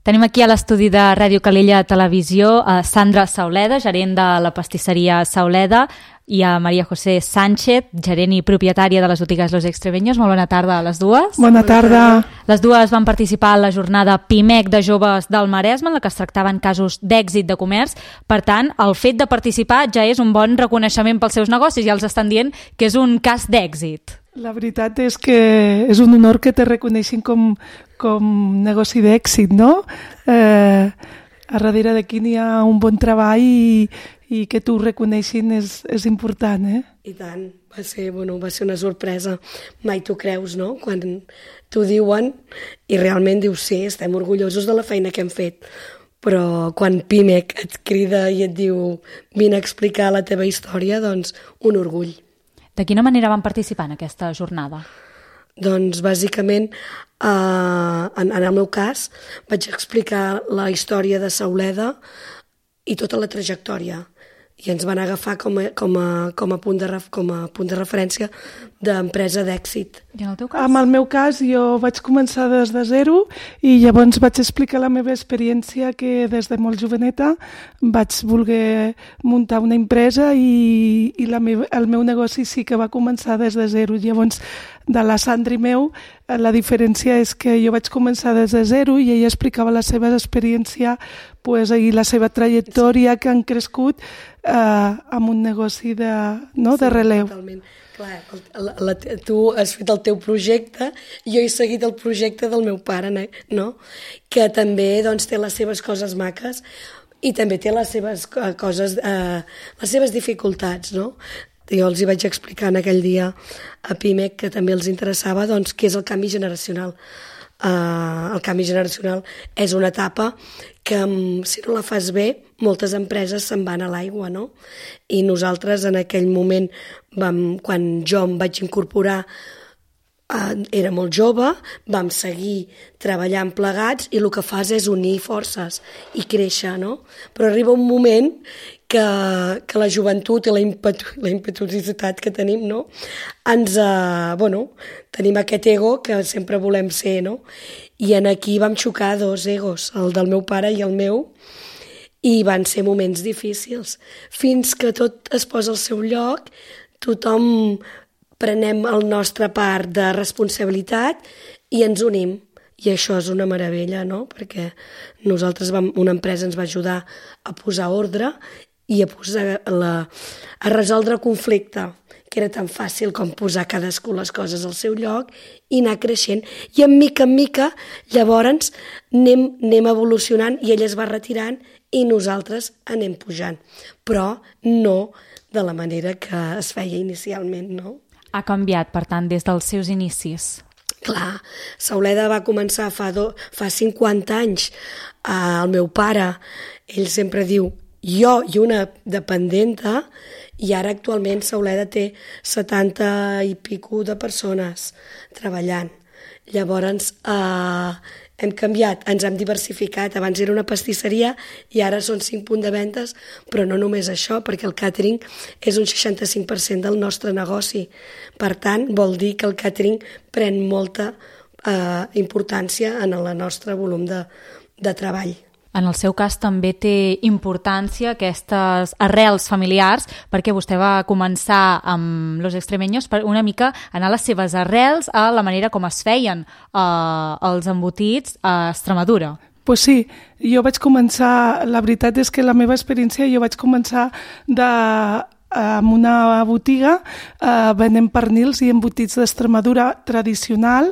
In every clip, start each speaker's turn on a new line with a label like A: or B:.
A: Tenim aquí a l'estudi de Ràdio Calella Televisió a Sandra Sauleda, gerent de la pastisseria Sauleda, i a Maria José Sánchez, gerent i propietària de les botigues Los Extremeños. Molt bona tarda a les dues.
B: Bona tarda.
A: Les dues van participar a la jornada PIMEC de joves del Maresme, en la que es tractaven casos d'èxit de comerç. Per tant, el fet de participar ja és un bon reconeixement pels seus negocis, ja els estan dient que és un cas d'èxit.
B: La veritat és que és un honor que te reconeixin com negoci d'èxit, no? A darrere d'aquí n'hi ha un bon treball i que t'ho reconeixin és important, eh?
C: I tant, va ser una sorpresa. Mai t'ho creus, no?, quan t'ho diuen i realment dius, sí, estem orgullosos de la feina que hem fet. Però quan PIMEC et crida i et diu vine a explicar la teva història, doncs un orgull.
A: De quina manera van participar en aquesta jornada?
C: Doncs bàsicament, en el meu cas, vaig explicar la història de Sauleda i tota la trajectòria. I ens van agafar com a punt de referència d'empresa d'èxit.
A: I en el teu cas?
B: En el meu cas jo vaig començar des de zero i llavors vaig explicar la meva experiència, que des de molt joveneta vaig voler muntar una empresa i el meu negoci sí que va començar des de zero. Llavors, de la Sandra i meu, la diferència és que jo vaig començar des de zero i ella explicava la seva experiència i la seva trajectòria que han crescut amb un negoci de relleu.
C: Totalment. Clar, tu has fet el teu projecte, jo he seguit el projecte del meu pare, no? Que també té les seves coses maques i també té les seves coses, les seves dificultats, no? Jo els hi vaig explicar en aquell dia a PIMEC que també els interessava què és el canvi generacional. El canvi generacional és una etapa que, si no la fas bé, moltes empreses se'n van a l'aigua, no? I nosaltres en aquell moment, quan jo em vaig incorporar, era molt jove, vam seguir treballant plegats i el que fas és unir forces i créixer, no? Però arriba un moment que la joventut i la impetuositat que tenim, no? Tenim aquest ego que sempre volem ser, no? I aquí vam xocar dos egos, el del meu pare i el meu, i van ser moments difícils. Fins que tot es posa al seu lloc, tothom prenem el nostre part de responsabilitat i ens unim. I això és una meravella, no? Perquè nosaltres, una empresa ens va ajudar a posar ordre i a resoldre el conflicte, que era tan fàcil com posar cadascú les coses al seu lloc i anar creixent. I en mica, llavors anem evolucionant i ell es va retirant i nosaltres anem pujant. Però no de la manera que es feia inicialment, no?
A: Ha canviat, per tant, des dels seus inicis.
C: Clar, Sauleda va començar fa 50 anys. El meu pare, ell sempre diu jo i una dependenta, i ara actualment Sauleda té 70 i pico de persones treballant. Llavors hem canviat, ens hem diversificat. Abans era una pastisseria i ara són 5 punts de ventes, però no només això, perquè el càtering és un 65% del nostre negoci. Per tant, vol dir que el càtering pren molta importància en el nostre volum de treball.
A: En el seu cas també té importància aquestes arrels familiars, perquè vostè va començar amb Los Extremeños per una mica anar a les seves arrels, a la manera com es feien els embotits a Extremadura.
B: Pues sí, jo vaig començar, la veritat és que la meva experiència, jo vaig començar en una botiga venent pernils i embotits d'Extremadura tradicional,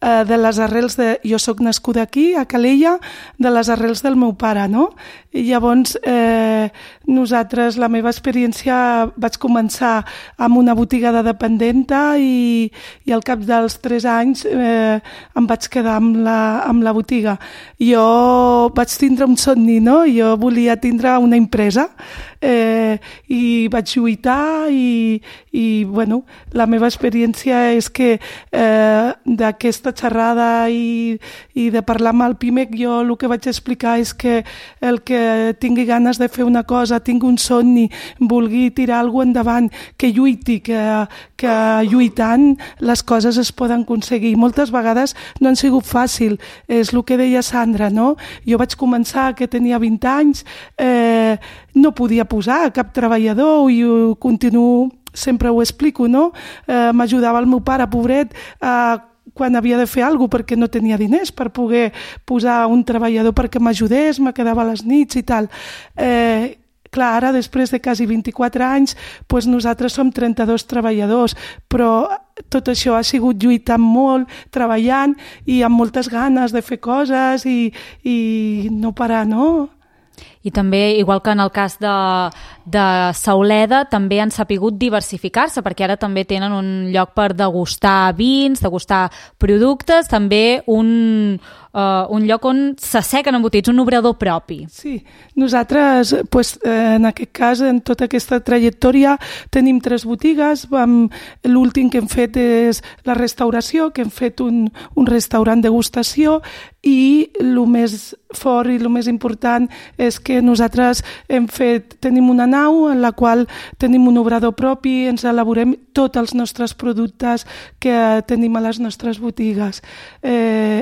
B: de les arrels jo soc nascuda aquí, a Calella, de les arrels del meu pare, no? I llavors nosaltres, la meva experiència, vaig començar amb una botiga de dependenta i al cap dels 3 anys em vaig quedar amb la botiga. Jo vaig tindre un somni, no? Jo volia tindre una empresa i vaig lluir lluitar i bueno, la meva experiència és que d'aquesta xerrada i de parlar amb el PIMEC, jo el que vaig explicar és que el que tingui ganes de fer una cosa, tingui un somni, vulgui tirar alguna cosa endavant, que lluiti, que lluitant les coses es poden aconseguir. Moltes vegades no han sigut fàcil, és el que deia Sandra, no? Jo vaig començar que tenia 20 anys, no podia posar cap treballador i ho continuo, sempre ho explico, no? M'ajudava el meu pare, pobret, quan havia de fer alguna cosa perquè no tenia diners per poder posar un treballador perquè m'ajudés, me quedava a les nits i tal. Clar, ara, després de quasi 24 anys, doncs nosaltres som 32 treballadors, però tot això ha sigut lluitant molt, treballant i amb moltes ganes de fer coses i no parar, no?
A: I també, igual que en el cas de Sauleda, també han sapigut diversificar-se, perquè ara també tenen un lloc per degustar vins, degustar productes, també un lloc on s'assequen embotits, un obrador propi.
B: Sí, nosaltres, en aquest cas, en tota aquesta trajectòria, tenim 3 botigues. L'últim que hem fet és la restauració, que hem fet un restaurant degustació, i el més fort i el més important és que nosaltres tenim una nau en la qual tenim un obrador propi, ens elaborem tots els nostres productes que tenim a les nostres botigues.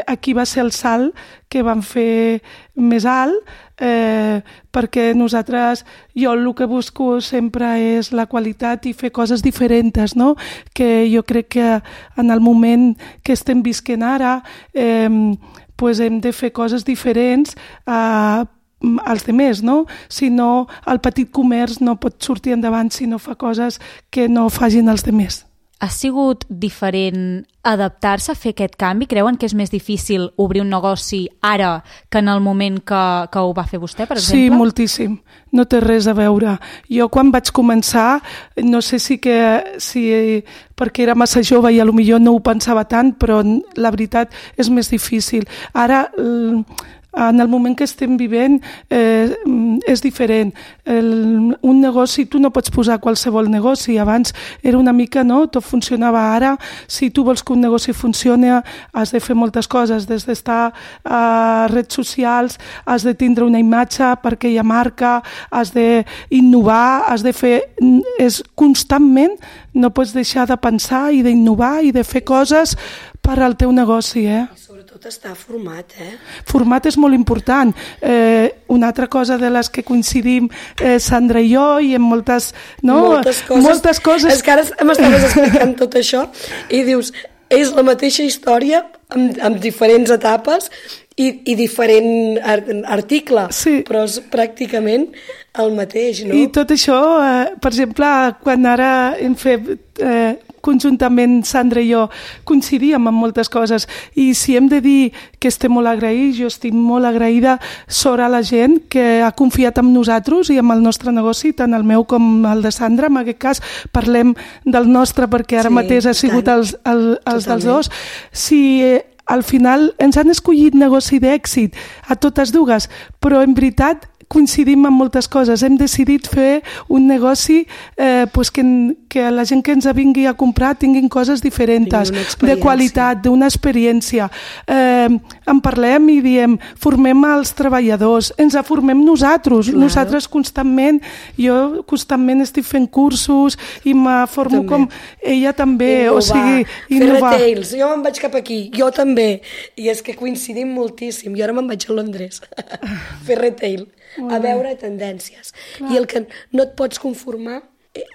B: Aquí va ser el salt que vam fer més alt, perquè jo el que busco sempre és la qualitat i fer coses diferents, no? Que jo crec que en el moment que estem visquent ara hem de fer coses diferents als demés, no? Si no, el petit comerç no pot sortir endavant si no fa coses que no facin els demés.
A: Ha sigut diferent adaptar-se a fer aquest canvi? Creuen que és més difícil obrir un negoci ara que en el moment que ho va fer vostè, per exemple?
B: Sí, moltíssim. No té res a veure. Jo quan vaig començar, no sé si perquè era massa jove i potser no ho pensava tant, però la veritat és més difícil. Ara, en el moment que estem vivint, és diferent. Un negoci, tu no pots posar qualsevol negoci. Abans era una mica, no? Tot funcionava. Ara, si tu vols que un negoci funcioni, has de fer moltes coses, des d'estar a redes socials, has de tindre una imatge per aquella marca, has d'innovar, has de fer... Constantment no pots deixar de pensar i d'innovar i de fer coses per al teu negoci,
C: I sobretot estar format,
B: Format és molt important. Una altra cosa de les que coincidim Sandra i jo, i en moltes... No? Moltes coses.
C: És que ara m'estaves explicant tot això i dius, és la mateixa història amb diferents etapes i diferent article,
B: sí.
C: Però és pràcticament el mateix, no?
B: I tot això, per exemple, quan ara hem fet conjuntament Sandra i jo coincidíem en moltes coses, i si hem de dir que estem molt agraïts, jo estic molt agraïda sobre la gent que ha confiat en nosaltres i en el nostre negoci, tant el meu com el de Sandra. En aquest cas parlem del nostre perquè ara mateix ha sigut els dels dos. Si al final ens han escollit negoci d'èxit a totes dues, però en veritat coincidim en moltes coses. Hem decidit fer un negoci que la gent que ens vingui a comprar tinguin coses diferents, de qualitat, d'una experiència. En parlem i diem, formem els treballadors, ens formem nosaltres. Claro. Nosaltres jo constantment estic fent cursos i me formo com ella també.
C: Innovar.
B: O sigui, innovar.
C: Fer retails, jo me'n vaig cap aquí, jo també. I és que coincidim moltíssim. Jo ara me'n vaig a Londres fer retail. A veure tendències. Clar. I el que no et pots conformar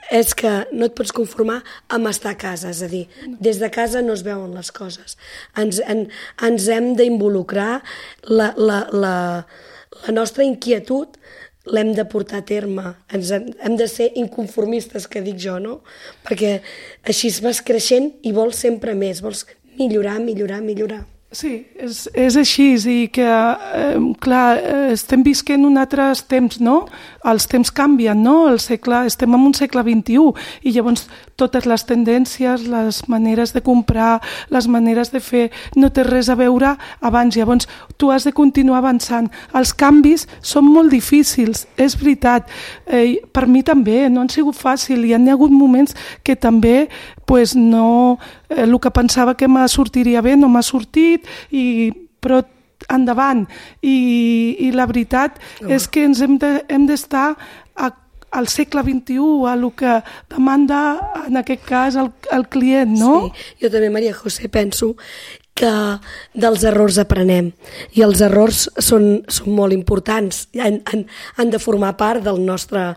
C: és que no et pots conformar amb estar a casa, és a dir, des de casa no es veuen les coses. Ens hem d'involucrar, la nostra inquietud l'hem de portar a terme, hem de ser inconformistes, que dic jo, no? Perquè així vas creixent i vols sempre més, vols millorar.
B: Sí, és així, i que, clar, estem visquent un altres temps, no? Els temps canvien, no? Estem en un segle XXI, i llavors totes les tendències, les maneres de comprar, les maneres de fer, no té res a veure abans. Llavors, tu has de continuar avançant. Els canvis són molt difícils, és veritat. Per mi també, no han sigut fàcils, hi ha hagut moments que també pues no, el que pensava que me sortiria bé no m'ha sortit, però endavant. I la veritat és que ens hem d'estar al segle XXI, a el que demanda, en aquest cas, el client, no?
C: Sí, jo també, Maria José, penso que dels errors aprenem, i els errors són molt importants, han de formar part del nostre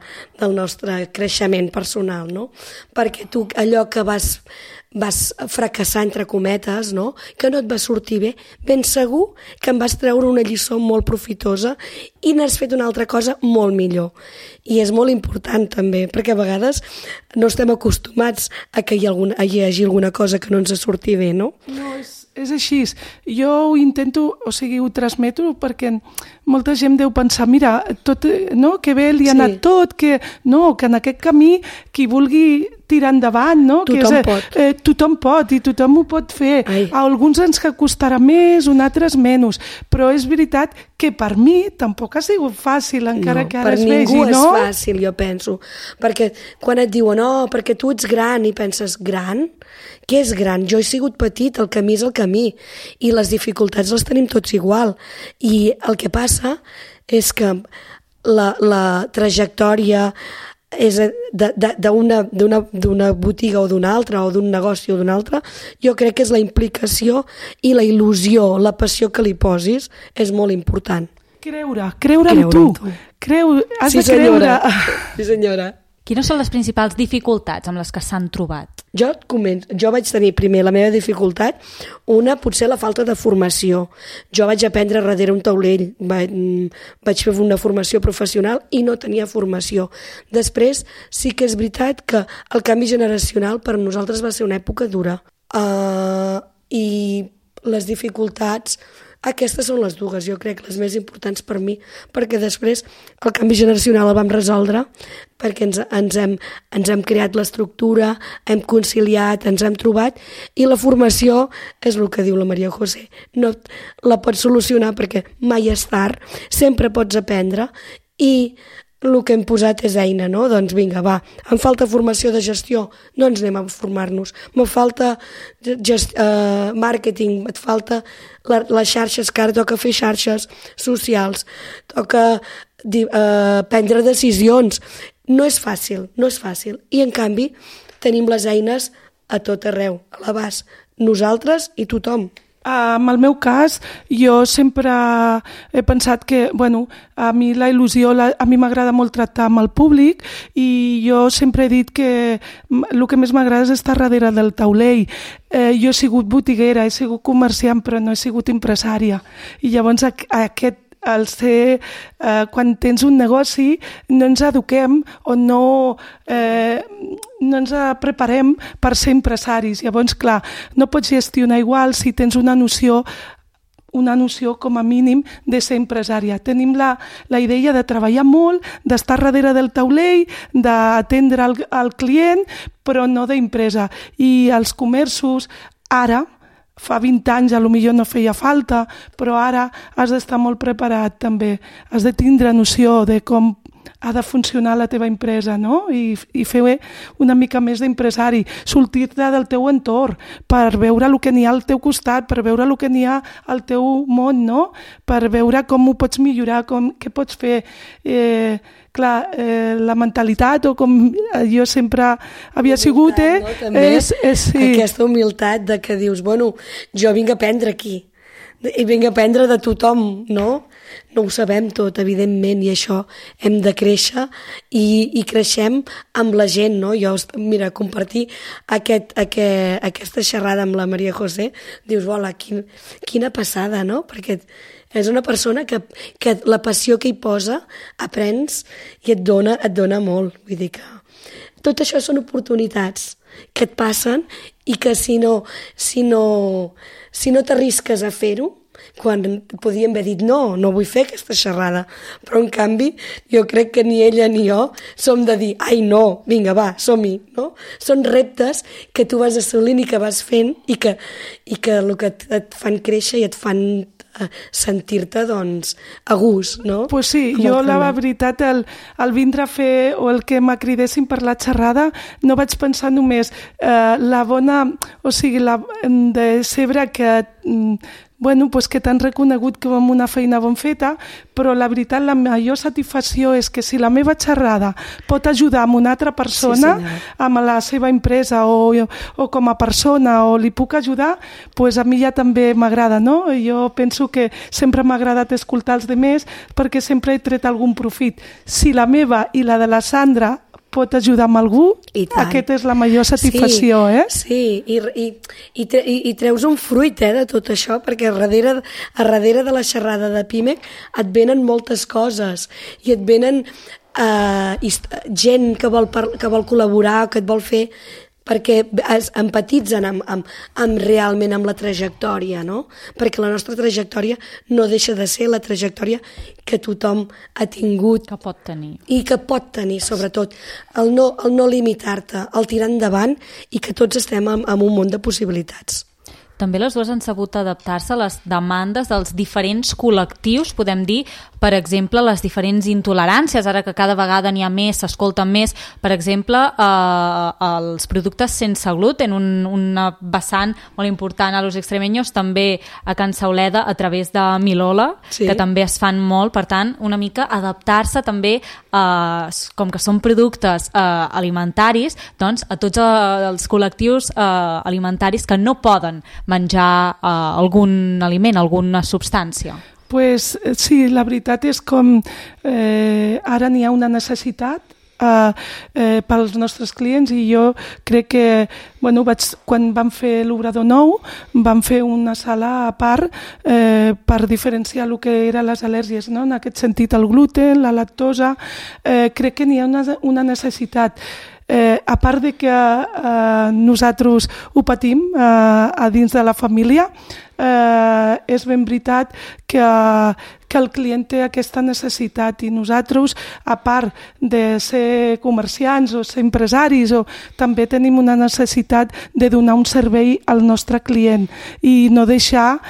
C: creixement personal, no? Perquè tu allò que vas fracassar, entre cometes, no? Que no et va sortir bé, ben segur que en vas treure una lliçó molt profitosa i n'has fet una altra cosa molt millor. I és molt important també, perquè a vegades no estem acostumats a que hi hagi alguna cosa que no ens surti bé, no?
B: No, és així. Jo ho intento, ho transmeto, perquè molta gent deu pensar, mira, tot, no, que bé li ha anat tot, que en aquest camí qui vulgui tirar endavant, no?
C: Tothom pot.
B: Tothom pot, i tothom ho pot fer. A alguns ens costarà més, a altres menys, però és veritat que per mi tampoc ha sigut fàcil, encara que ara es vegi, no?
C: Per ningú és fàcil, jo penso, perquè quan et diuen, perquè tu ets gran, i penses, gran? Què és gran? Jo he sigut petit, el camí és el camí, i les dificultats les tenim tots igual, i el que passa és que la trajectòria és d'una botiga o d'una altra, o d'un negoci o d'una altra, jo crec que és la implicació i la il·lusió, la passió que li posis és molt important.
B: Creure en tu. Has de creure.
C: Sí, senyora.
A: Quines són les principals dificultats amb les que s'han trobat?
C: Jo vaig tenir primer la meva dificultat, una potser la falta de formació. Jo vaig aprendre darrere un taulell, vaig fer una formació professional i no tenia formació. Després sí que és veritat que el canvi generacional per nosaltres va ser una època dura. I les dificultats, aquestes són les dues, jo crec, les més importants per mi, perquè després el canvi generacional el vam resoldre, perquè ens hem creat l'estructura, hem conciliat, ens hem trobat, i la formació és el que diu la Maria José. No la pots solucionar perquè mai és tard, sempre pots aprendre, i el que hem posat és eina, no? Doncs vinga, va, em falta formació de gestió, doncs anem a formar-nos. Me falta màrqueting, et falta les xarxes, que ara toca fer xarxes socials, toca prendre decisions. No és fàcil. I en canvi tenim les eines a tot arreu, a l'abast, nosaltres i tothom.
B: En el meu cas, jo sempre he pensat que, a mi la il·lusió, a mi m'agrada molt tractar amb el públic, i jo sempre he dit que el que més m'agrada és estar darrere del taulell. Jo he sigut botiguera, he sigut comerciant, però no he sigut empresària. I llavors quan tens un negoci no ens eduquem o no ens preparem per ser empresaris. Llavors, clar, no pots gestionar igual si tens una noció com a mínim de ser empresària. Tenim la idea de treballar molt, d'estar darrere del taulell, d'atendre el client, però no d'empresa. I els comerços ara, fa 20 anys potser no feia falta, però ara has d'estar molt preparat també. Has de tindre noció de com ha de funcionar la teva empresa, no? I fer una mica més d'empresari, sortir-te del teu entorn per veure el que n'hi ha al teu costat, per veure el que n'hi ha al teu món, no? Per veure com ho pots millorar, què pots fer. Clar, la mentalitat, o com jo sempre havia sigut,
C: sí. Aquesta humilitat de que dius, jo vinc a aprendre aquí, i vinc a aprendre de tothom, no? No ho sabem tot, evidentment, i això hem de créixer, i creixem amb la gent, no? Jo, mira, compartir aquesta xerrada amb la Maria José, dius, hola, quina passada, no? Perquè és una persona que la passió que hi posa aprens i et dona molt. Vull dir que tot això són oportunitats que et passen i que si no t'arrisques a fer-ho, quan podíem haver dit no vull fer aquesta xerrada, però en canvi jo crec que ni ella ni jo som de dir, ai no, vinga va, som-hi, no? Són reptes que tu vas assolint i que vas fent i que el que et fan créixer i et fan sentir-te, doncs, a gust, no?
B: Pues sí, jo la veritat, el vindre a fer o el que m'acridessin per la xerrada, no vaig pensar només la bona, o sigui, de saber que bueno, pues que t'han reconegut que amb una feina ben feta, però la veritat, la major satisfacció és que si la meva xerrada pot ajudar a una altra persona, amb la seva empresa o com a persona, o li puc ajudar, pues a mi ja també m'agrada, no? Jo penso que sempre m'ha agradat escoltar els altres perquè sempre he tret algun profit. Si la meva i la de la Sandra pot ajudar amb algú, aquesta és la major satisfacció,
C: Sí, i treus un fruit de tot això, perquè a darrere de la xerrada de PIMEC et venen moltes coses i et venen gent que vol col·laborar, que et vol fer, perquè es empatitzen realment amb la trajectòria, no? Perquè la nostra trajectòria no deixa de ser la trajectòria que tothom ha tingut.
A: Que pot tenir.
C: I que pot tenir, sobretot. El no limitar-te, el tirar endavant i que tots estem en un món de possibilitats.
A: També les dues han sabut adaptar-se a les demandes dels diferents col·lectius, podem dir, per exemple, les diferents intoleràncies, ara que cada vegada n'hi ha més, s'escolten més, per exemple, els productes sense gluten, una vessant molt important a Los Extremeños, també a Can Sauleda, a través de Milola, que també es fan molt, per tant, una mica adaptar-se també, com que són productes alimentaris, doncs a tots els col·lectius alimentaris que no poden menjar algun aliment, alguna substància.
B: Pues sí, la veritat és com ara n'hi ha una necessitat pels nostres clients i jo crec que quan vam fer l'Obrador Nou vam fer una sala a part per diferenciar el que eren les al·lèrgies, no? En aquest sentit el gluten, la lactosa, crec que n'hi ha una necessitat. A part de que nosaltres ho patim a dins de la família, és ben veritat que el client té aquesta necessitat i nosaltres, a part de ser comerciants o ser empresaris, també tenim una necessitat de donar un servei al nostre client i no deixar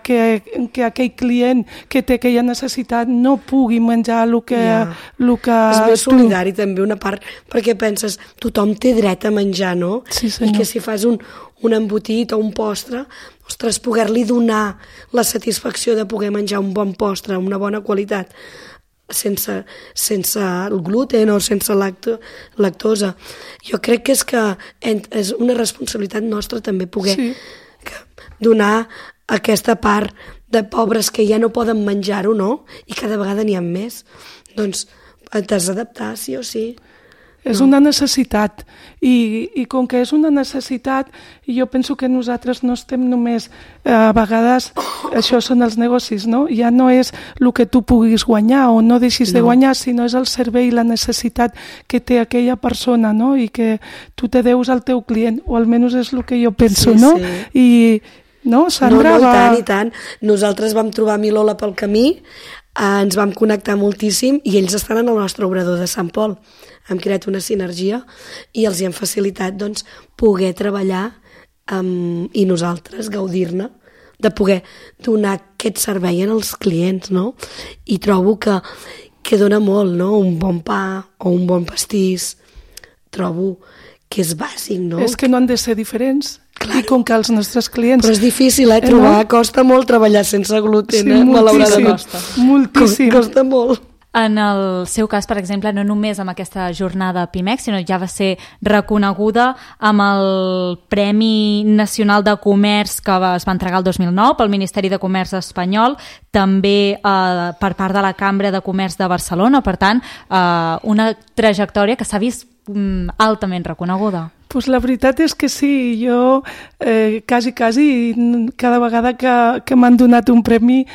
B: que aquell client que té aquella necessitat no pugui menjar el que...
C: És més solidari també una part, perquè penses, tothom té dret a menjar, no?
B: Sí, senyor.
C: I que si fas un embotit o un postre, ostres, poder-li donar la satisfacció de poder menjar un bon postre, una bona qualitat, sense el gluten o sense lactosa. Jo crec que és una responsabilitat nostra també poder donar aquesta part de pobres que ja no poden menjar-ho, no? I cada vegada n'hi ha més. Doncs t'has d'adaptar, sí o sí.
B: És una necessitat i com que és una necessitat jo penso que nosaltres no estem només a vegades, això són els negocis, no? Ja no és el que tu puguis guanyar o no deixis de guanyar, sinó és el servei i la necessitat que té aquella persona, no? I que tu te deus al teu client, o almenys és el que jo penso, no? I no, Sandra?
C: I tant. Nosaltres vam trobar Milola pel camí, ens vam connectar moltíssim i ells estan en el nostre obrador de Sant Pol. Hem creat una sinergia i els hi hem facilitat poder treballar i nosaltres gaudir-ne, de poder donar aquest servei als clients, no? I trobo que dona molt, no? Un bon pa o un bon pastís, trobo que és bàsic, no?
B: És que no han de ser diferents. Claro. I com que els nostres clients...
C: Però és difícil, trobar, costa molt treballar sense gluten,
B: malauradament. Moltíssim.
C: Costa molt.
A: En el seu cas, per exemple, no només amb aquesta jornada PIMEC, sinó ja va ser reconeguda amb el Premi Nacional de Comerç que es va entregar el 2009 pel Ministeri de Comerç espanyol, també per part de la Cambra de Comerç de Barcelona, per tant, una trajectòria que s'ha vist altament reconeguda.
B: Pues la veritat és que sí, jo quasi cada vegada que m'han donat un premi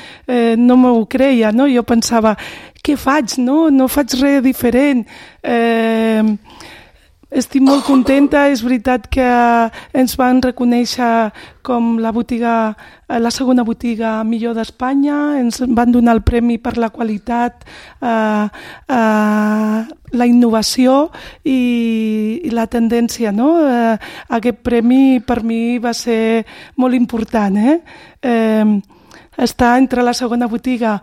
B: no m'ho creia, no? Jo pensava, què faig? No faig res diferent. estic molt contenta. És veritat que ens van reconèixer com la segona botiga millor d'Espanya, ens van donar el premi per la qualitat, la innovació i la tendència, no? Aquest premi per mi va ser molt important, està entre la segona botiga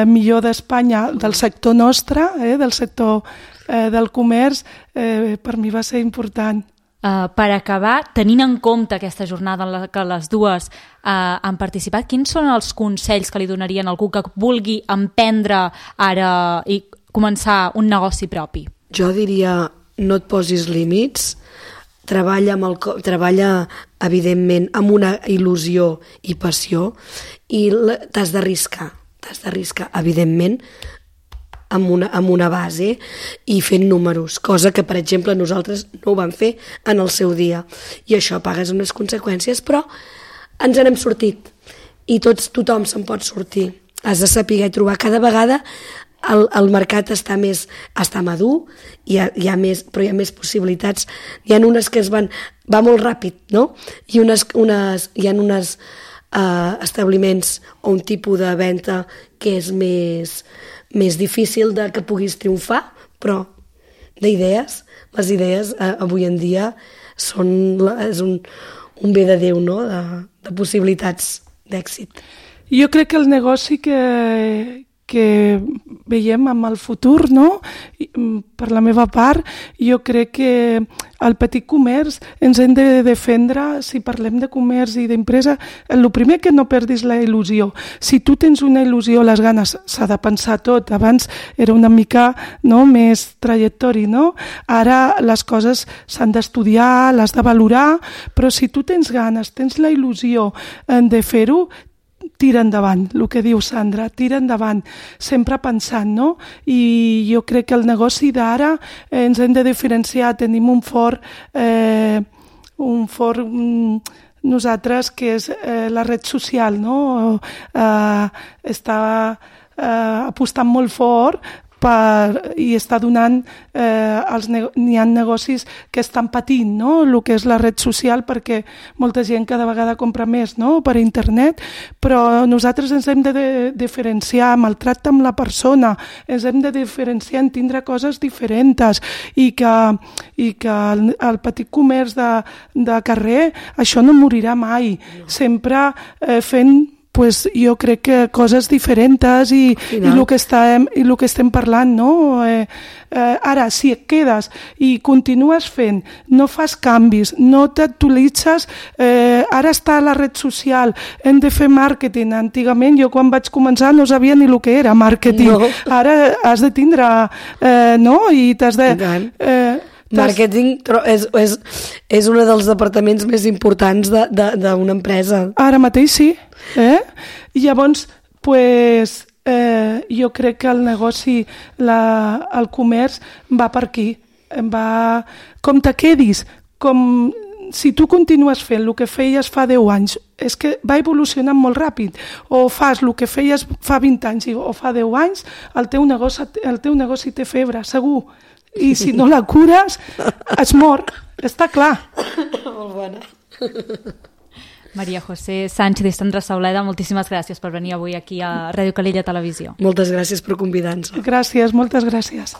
B: millor d'Espanya del sector nostre, del sector del comerç, per mi va ser important.
A: Per acabar, tenint en compte aquesta jornada en la que les dues han participat, quins són els consells que li donarien a algú que vulgui emprendre ara i començar un negoci propi?
C: Jo diria, no et posis límits, treballa evidentment amb una il·lusió i passió i t'has d'arriscar, evidentment, amb una base i fent números, cosa que, per exemple, nosaltres no ho vam fer en el seu dia. I això pagues unes conseqüències, però ens n'hem sortit i tothom se'n pot sortir. Has de saber trobar cada vegada. El mercat està madur, però hi ha més possibilitats. Hi ha unes que va molt ràpid, no? I hi ha uns establiments o un tipus de venda que és més difícil que puguis triomfar, però d'idees, les idees avui en dia és un bé de Déu, no? De possibilitats d'èxit.
B: Jo crec que el negoci que veiem amb el futur, no? Per la meva part, jo crec que el petit comerç ens hem de defendre. Si parlem de comerç i d'empresa, el primer que no perdis la il·lusió. Si tu tens una il·lusió, les ganes, s'ha de pensar tot. Abans era una mica més trajectori, no? Ara les coses s'han d'estudiar, les de valorar, però si tu tens ganes, tens la il·lusió de fer-ho, tira endavant, el que diu Sandra, tira endavant, sempre pensant, no? I jo crec que el negoci d'ara ens hem de diferenciar, tenim un fort nosaltres que és la red social, no? Està apostant molt fort i està donant, n'hi ha negocis que estan patint, no? El que és la red social, perquè molta gent cada vegada compra més, no? Per internet, però nosaltres ens hem de diferenciar amb el tracte amb la persona, ens hem de diferenciar en tindre coses diferents i que el petit comerç de carrer, això no morirà mai, sempre fent jo crec que coses diferents i el que estem parlant, no? Ara, si et quedes i continues fent, no fas canvis, no t'actualitzes, ara està a la red social, hem de fer màrqueting. Antigament, jo quan vaig començar no sabia ni el que era màrqueting. No. Ara has de tindre, no? I t'has de...
C: Màrqueting és un dels departaments més importants d'una empresa.
B: Ara mateix sí. I llavors, jo crec que el negoci, el comerç, va per aquí. Com te quedis, si tu continues fent el que feies fa 10 anys, és que va evolucionant molt ràpid, o fas el que feies fa 20 anys o fa 10 anys, el teu negoci té febre, segur. I si no la cures, es mor, està clar.
C: Molt bona.
A: Maria José Sánchez i Sandra Sauleda, moltíssimes gràcies per venir avui aquí a Ràdio Calella Televisió.
C: Moltes gràcies per convidar-nos.
B: Gràcies, moltes gràcies.